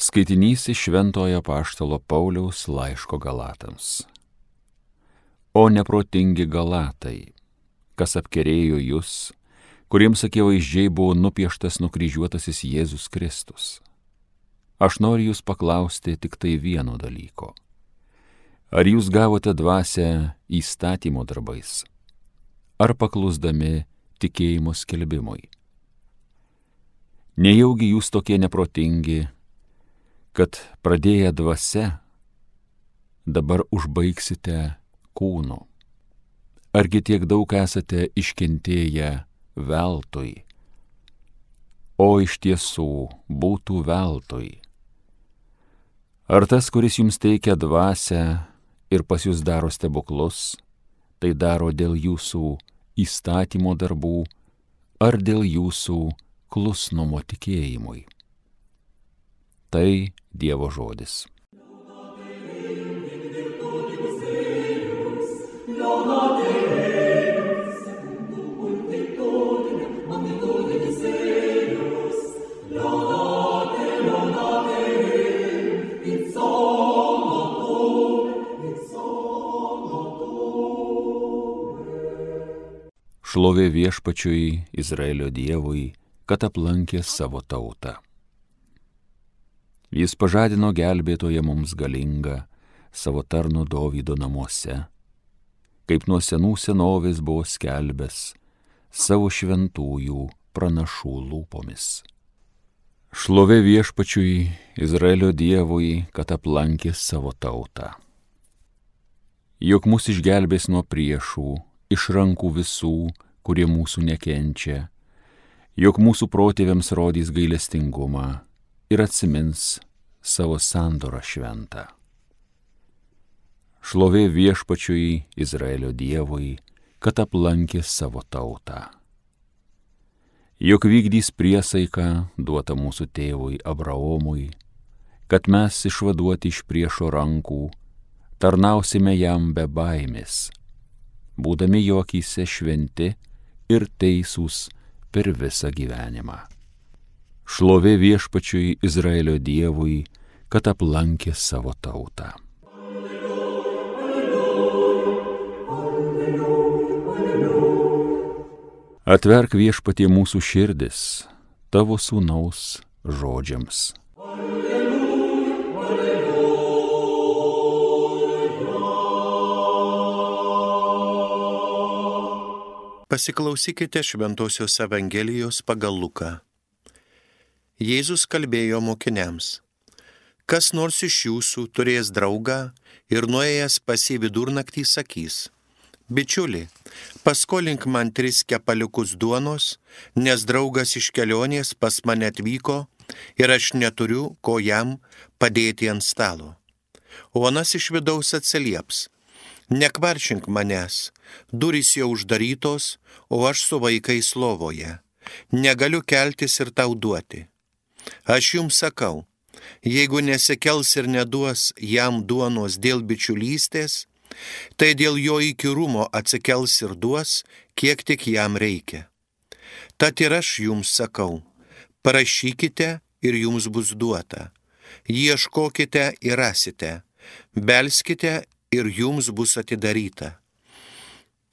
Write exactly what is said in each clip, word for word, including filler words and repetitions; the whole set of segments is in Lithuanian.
Skaitinys iš Šventojo Apaštalo Pauliaus laiško Galatams. O neprotingi Galatai, kas apkerėjo jūs, kuriems akivaizdžiai buvo nupieštas nukryžiuotasis Jėzus Kristus. Aš noriu jūs paklausti tik tai vieno dalyko. Ar jūs gavote dvasią įstatymo darbais, ar paklusdami tikėjimo skelbimui? Nejaugi jūs tokie neprotingi, kad pradėję dvasia, dabar užbaigsite kūnu? Argi tiek daug esate iškentėję veltui? O iš tiesų būtų veltui. Ar tas, kuris jums teikia dvasią ir pas jūs daro stebuklus, tai daro dėl jūsų įstatymo darbų ar dėl jūsų klusnumo tikėjimui? Tai Dievo žodis. Šlovė Viešpačiui, Izraelio Dievui, kad aplankė savo tautą. Jis pažadino gelbėtoją mums galingą savo tarno Dovydo namuose, kaip nuo senų senovės buvo skelbęs savo šventųjų pranašų lūpomis. Šlovė Viešpačiui, Izraelio Dievui, kad aplankė savo tautą. Juk mus išgelbės nuo priešų, iš rankų visų, kurie mūsų nekenčia, jog mūsų protėviams rodys gailestingumą ir atsimins savo sandorą šventą. Šlovė Viešpačiui, Izraelio Dievui, kad aplankė savo tautą. Jog vykdys priesaiką duotą mūsų tėvui Abraomui, kad mes išvaduoti iš priešo rankų tarnausime jam be baimės, būdami jo akyse šventi ir teisūs per visą gyvenimą. Šlovė Viešpačiui, Izraelio Dievui, kad aplankė savo tautą. Atverk Viešpatie mūsų širdis tavo sūnaus žodžiams. Pasiklausykite Šventosios Evangelijos pagal Luką. Jėzus kalbėjo mokiniams: kas nors iš jūsų turės draugą ir nuėjęs pas jį vidurnaktį sakys: bičiuli, paskolink man tris kepaliukus duonos, nes draugas iš kelionės pas mane atvyko ir aš neturiu, ko jam padėti ant stalo. O anas iš vidaus atsilieps: nekvaršink manęs, durys jau uždarytos, o aš su vaikais lovoje, negaliu keltis ir tau duoti. Aš jums sakau, jeigu nesikels ir neduos jam duonos dėl bičiulystės, tai dėl jo įkyrumo atsikels ir duos, kiek tik jam reikia. Tad ir aš jums sakau, prašykite ir jums bus duota, ieškokite ir rasite, belskite ir jums bus atidaryta.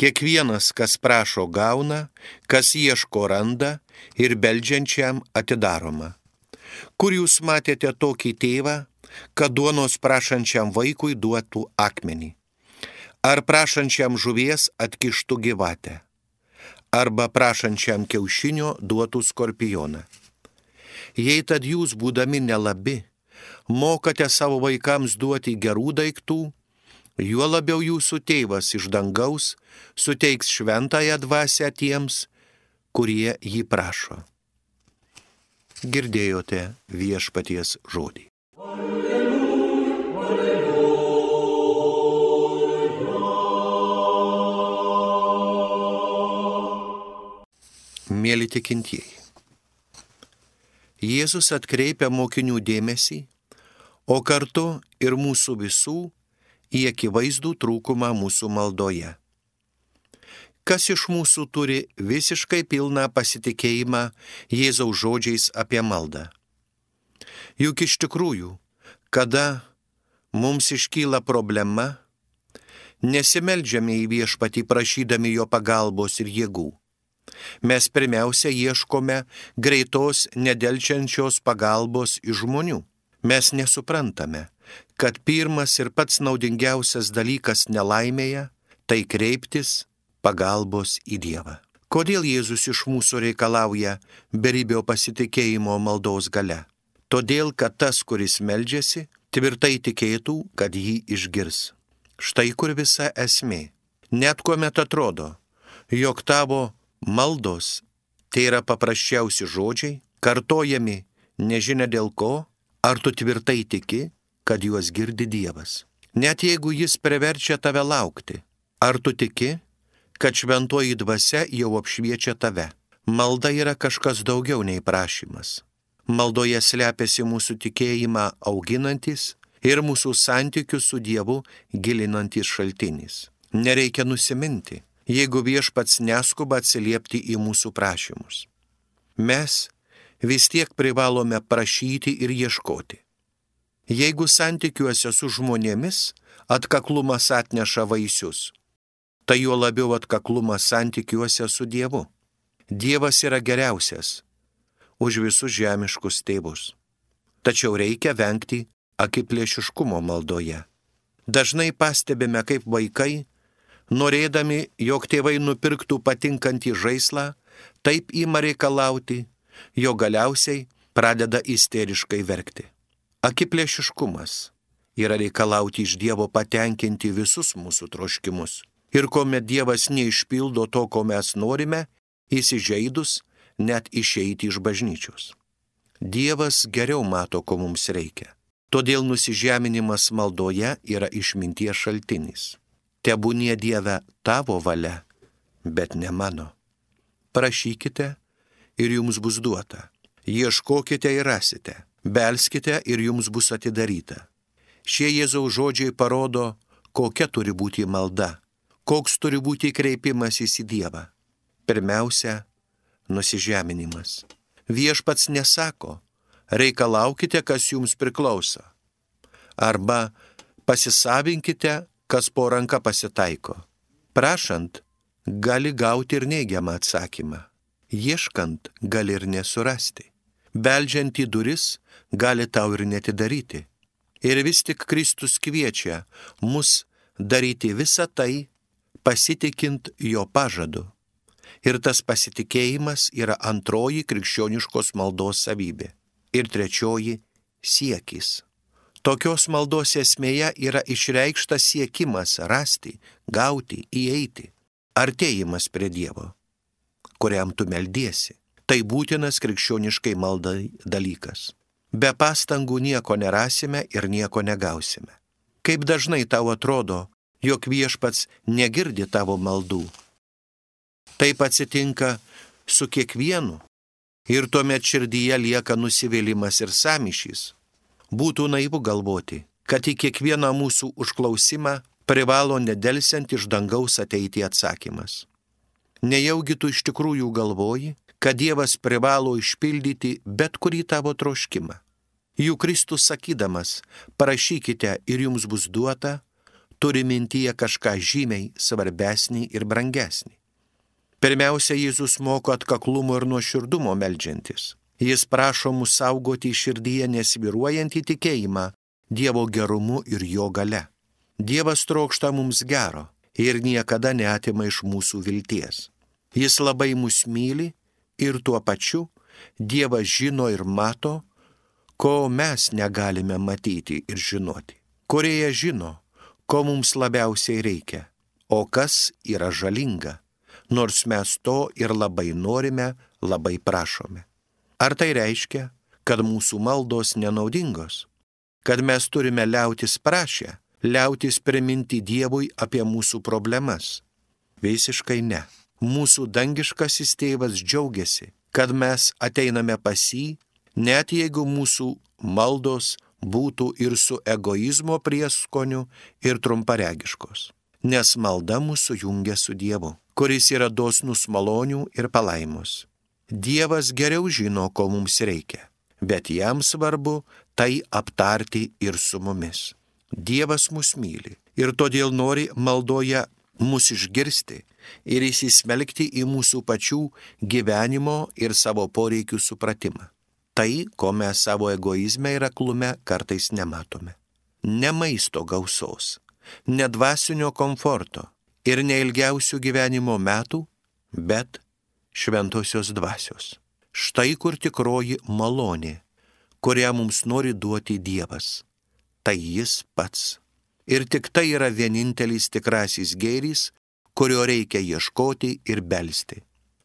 Kiekvienas, kas prašo, gauna, kas ieško, randa ir beldžiančiam atidaroma. Kur jūs matėte tokį tėvą, kad duonos prašančiam vaikui duotų akmenį? Ar prašančiam žuvies atkištų gyvatę? Arba prašančiam kiaušinio duotų skorpioną? Jei tad jūs, būdami nelabi, mokate savo vaikams duoti gerų daiktų, juo labiau jūsų tėvas iš dangaus suteiks šventąją dvasią tiems, kurie jį prašo. Girdėjote Viešpaties žodį. Mėly tikintieji, Jėzus atkreipia mokinių dėmesį, o kartu ir mūsų visų į akivaizdų trūkumą mūsų maldoje. Kas iš mūsų turi visiškai pilną pasitikėjimą Jėzaus žodžiais apie maldą? Juk iš tikrųjų, kada mums iškyla problema, nesimeldžiame į viešpatį prašydami jo pagalbos ir jėgų. Mes pirmiausia ieškome greitos, nedelčiančios pagalbos iš žmonių. Mes nesuprantame, kad pirmas ir pats naudingiausias dalykas nelaimėje – tai kreiptis pagalbos į Dievą. Kodėl Jėzus iš mūsų reikalauja beribio pasitikėjimo maldos gale? Todėl, kad tas, kuris meldžiasi, tvirtai tikėtų, kad jį išgirs. Štai kur visa esmė. Net kuomet atrodo, jog tavo maldos tai yra paprasčiausi žodžiai, kartojami nežinia dėl ko, ar tu tvirtai tiki, kad juos girdi Dievas. Net jeigu jis priverčia tave laukti, ar tu tiki, kad šventoji dvasia jau apšviečia tave. Malda yra kažkas daugiau nei prašymas. Maldoje slepiasi mūsų tikėjimą auginantis ir mūsų santykius su Dievu gilinantis šaltinis. Nereikia nusiminti, jeigu viešpats neskuba atsiliepti į mūsų prašymus. Mes vis tiek privalome prašyti ir ieškoti. Jeigu santykiuose su žmonėmis atkaklumas atneša vaisius, tai juo labiau atkaklumas santykiuose su Dievu. Dievas yra geriausias už visus žemiškus tėvus. Tačiau reikia vengti akiplėšiškumo maldoje. Dažnai pastebime, kaip vaikai, norėdami, jog tėvai nupirktų patinkantį žaislą, taip ima reikalauti, jo galiausiai pradeda isteriškai verkti. Akiplėšiškumas yra reikalauti iš Dievo patenkinti visus mūsų troškimus. Ir kuomet Dievas neišpildo to, ko mes norime, įsižeidus net išeiti iš bažnyčios. Dievas geriau mato, ko mums reikia. Todėl nusižeminimas maldoje yra išminties šaltinis. Tebūnie Dieve tavo valia, bet ne mano. Prašykite ir jums bus duota. Ieškokite ir rasite. Belskite ir jums bus atidaryta. Šie Jėzaus žodžiai parodo, kokia turi būti malda, koks turi būti kreipimasis į Dievą. Pirmiausia, nusižeminimas. Viešpats nesako, reikalaukite, kas jums priklauso, arba pasisavinkite, kas po ranka pasitaiko. Prašant, gali gauti ir neigiamą atsakymą. Ieškant, gali ir nesurasti. Beldžiant į duris, gali tau ir netidaryti. Ir vis tik Kristus kviečia mus daryti visą tai, pasitikint jo pažadu. Ir tas pasitikėjimas yra antroji krikščioniškos maldos savybė. Ir trečioji – siekis. Tokios maldos esmėje yra išreikštas siekimas rasti, gauti, įeiti, artėjimas prie Dievo, kuriam tu meldiesi. Tai būtinas krikščioniškai maldai dalykas. Be pastangų nieko nerasime ir nieko negausime. Kaip dažnai tau atrodo, jog viešpats negirdi tavo maldų. Taip atsitinka su kiekvienu ir tuomet širdyje lieka nusivylimas ir sąmyšys. Būtų naivu galvoti, kad į kiekvieną mūsų užklausimą privalo nedelsiant iš dangaus ateiti atsakymas. Nejaugi tu iš tikrųjų galvoji, kad Dievas privalo išpildyti bet kurį tavo troškimą. Juk Kristus sakydamas, prašykite ir jums bus duota, turi mintyje kažką žymiai svarbesnį ir brangesnį. Pirmiausia, Jėzus moko atkaklumo ir nuoširdumo meldžiantis. Jis prašo mus saugoti širdyje nesvyruojantį tikėjimą Dievo gerumu ir jo gale. Dievas trokšta mums gero ir niekada neatima iš mūsų vilties. Jis labai mus myli ir tuo pačiu Dievas žino ir mato, ko mes negalime matyti ir žinoti. Kurie žino, ko mums labiausiai reikia, o kas yra žalinga, nors mes to ir labai norime, labai prašome. Ar tai reiškia, kad mūsų maldos nenaudingos? Kad mes turime liautis prašę, liautis priminti Dievui apie mūsų problemas? Visiškai ne. Mūsų dangiškasis tėvas džiaugiasi, kad mes ateiname pas jį, net jeigu mūsų maldos būtų ir su egoizmo prieskoniu ir trumparegiškos. Nes malda mūsų jungia su Dievu, kuris yra dosnus malonių ir palaimos. Dievas geriau žino, ko mums reikia. bet jam svarbu tai aptarti ir su mumis. Dievas mus myli ir todėl nori maldoje mus išgirsti ir įsismelkti į mūsų pačių gyvenimo ir savo poreikių supratimą. Tai, ko mes savo egoizme ir aklume kartais nematome. Ne maisto gausos, ne dvasinio komforto ir ne ilgiausių gyvenimo metų, bet šventosios dvasios. Štai kur tikroji malonė, kurią mums nori duoti Dievas. Tai jis pats. Ir tik tai yra vienintelis tikrasis gėris, kurio reikia ieškoti ir belsti.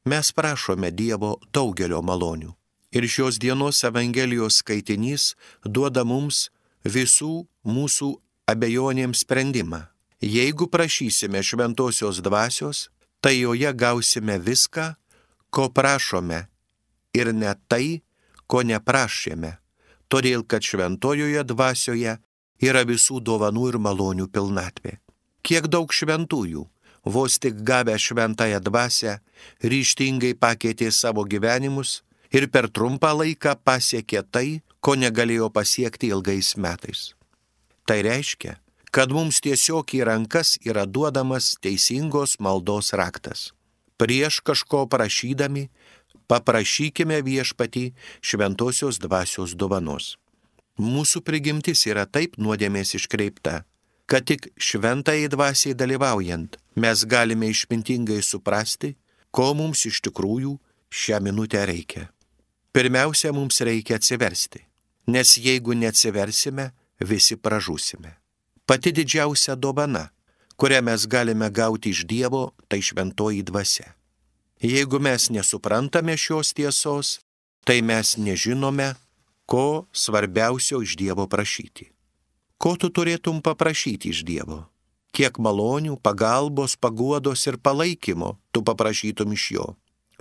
Mes prašome Dievo daugelio malonių. Ir šios dienos Evangelijos skaitinys duoda mums visų mūsų abejonėms sprendimą. Jeigu prašysime šventosios dvasios, tai joje gausime viską, ko prašome, ir ne tai, ko neprašėme, todėl kad šventojoje dvasioje yra visų dovanų ir malonių pilnatvė. Kiek daug šventųjų, vos tik gavę šventąją dvasią, ryžtingai pakeitė savo gyvenimus ir per trumpą laiką pasiekė tai, ko negalėjo pasiekti ilgais metais. Tai reiškia, kad mums tiesiog į rankas yra duodamas teisingos maldos raktas. Prieš kažko prašydami, paprašykime viešpatį šventosios dvasios dovanos. Mūsų prigimtis yra taip nuodėmės iškreipta, kad tik šventai dvasiai dalyvaujant mes galime išmintingai suprasti, ko mums iš tikrųjų šią minutę reikia. Pirmiausia, mums reikia atsiversti, nes jeigu neatsiversime, visi pražūsime. Pati didžiausia dovana, kurią mes galime gauti iš Dievo, tai šventoji dvasia. Jeigu mes nesuprantame šios tiesos, tai mes nežinome, ko svarbiausio iš Dievo prašyti. Ko tu turėtum paprašyti iš Dievo? Kiek malonių, pagalbos, paguodos ir palaikymo tu paprašytum iš Jo?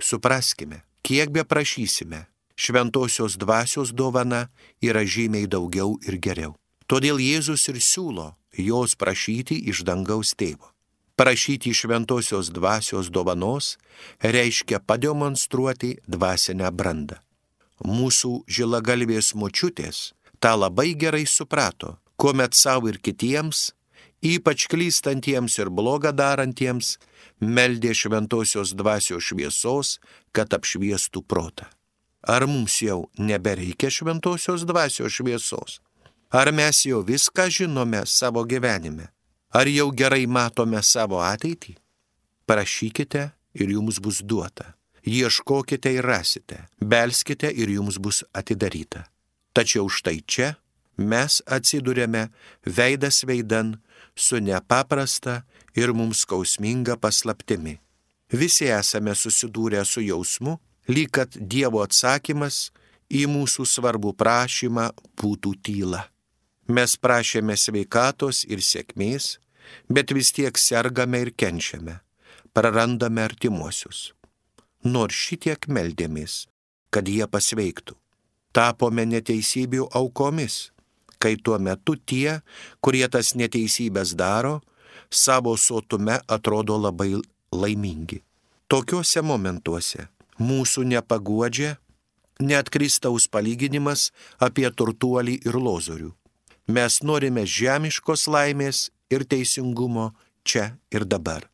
Supraskime, kiek be prašysime, šventosios dvasios dovana yra žymiai daugiau ir geriau. Todėl Jėzus ir siūlo jos prašyti iš dangaus tėvo. Prašyti šventosios dvasios dovanos reiškia pademonstruoti dvasinę brandą. Mūsų žilagalvės močiutės tą labai gerai suprato, kuomet savo ir kitiems, ypač klystantiems ir blogą darantiems, meldė šventosios dvasios šviesos, kad apšviestų protą. Ar mums jau nebereikia šventosios dvasios šviesos? Ar mes jau viską žinome savo gyvenime? Ar jau gerai matome savo ateitį? Prašykite ir jums bus duota. Ieškokite ir rasite. Belskite ir jums bus atidaryta. Tačiau štai čia mes atsiduriame veidas veidan su nepaprasta ir mums skausminga paslaptimi. Visi esame susidūrę su jausmu, lyg kad Dievo atsakymas į mūsų svarbų prašymą būtų tyla. Mes prašėme sveikatos ir sėkmės, bet vis tiek sergame ir kenčiame, prarandame artimuosius. Nors šitiek meldėmės, kad jie pasveiktų. Tapome neteisybių aukomis, kai tuo metu tie, kurie tas neteisybės daro, savo sotume atrodo labai laimingi. Tokiuose momentuose mūsų nepaguodžia net Kristaus palyginimas apie turtuolį ir lozorių. Mes norime žemiškos laimės ir teisingumo čia ir dabar.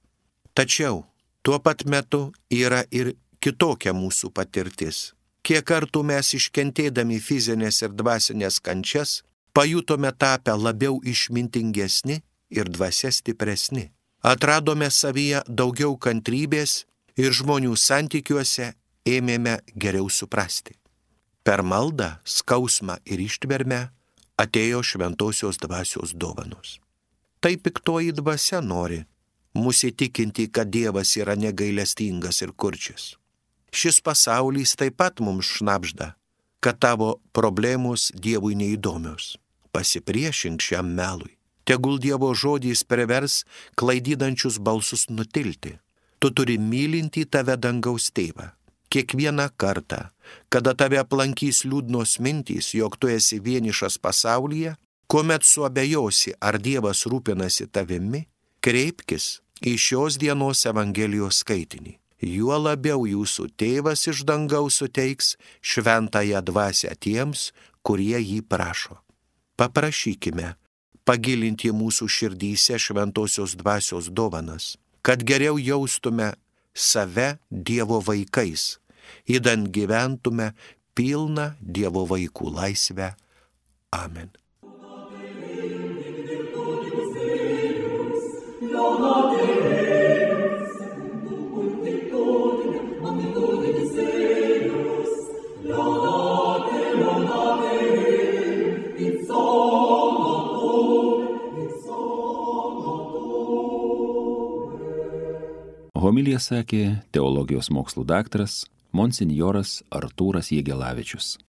Tačiau tuo pat metu yra ir kitokia mūsų patirtis. Kiek kartų mes iškentėdami fizinės ir dvasinės kančias, pajutome tapę labiau išmintingesni ir dvasia stipresni. Atradome savyje daugiau kantrybės ir žmonių santykiuose ėmėme geriau suprasti. Per maldą, skausmą ir ištvermę atėjo šventosios dvasios dovanos. Tai piktoji dvasia nori mus įtikinti, kad Dievas yra negailestingas ir kurčias. Šis pasaulis taip pat mums šnabžda, kad tavo problemos Dievui neįdomios. Pasipriešink šiam melui. Tegul Dievo žodis privers klaidydančius balsus nutilti. Tu turi mylinti tave dangaus tėvą. Kiekvieną kartą, kada tave aplankys liūdnos mintys, jog tu esi vienišas pasaulyje, kuomet suabejosi, ar Dievas rūpinasi tavimi, kreipkis į šios dienos Evangelijos skaitinį. juo labiau jūsų tėvas iš dangaus suteiks šventąją dvasią tiems, kurie jį prašo. Paprašykime pagilinti mūsų širdyse šventosios dvasios dovanas, kad geriau jaustume save Dievo vaikais, idant gyventume pilną Dievo vaikų laisvę. Amen. Homiliją sakė teologijos mokslų daktaras monsinjoras Artūras Jegelavičius.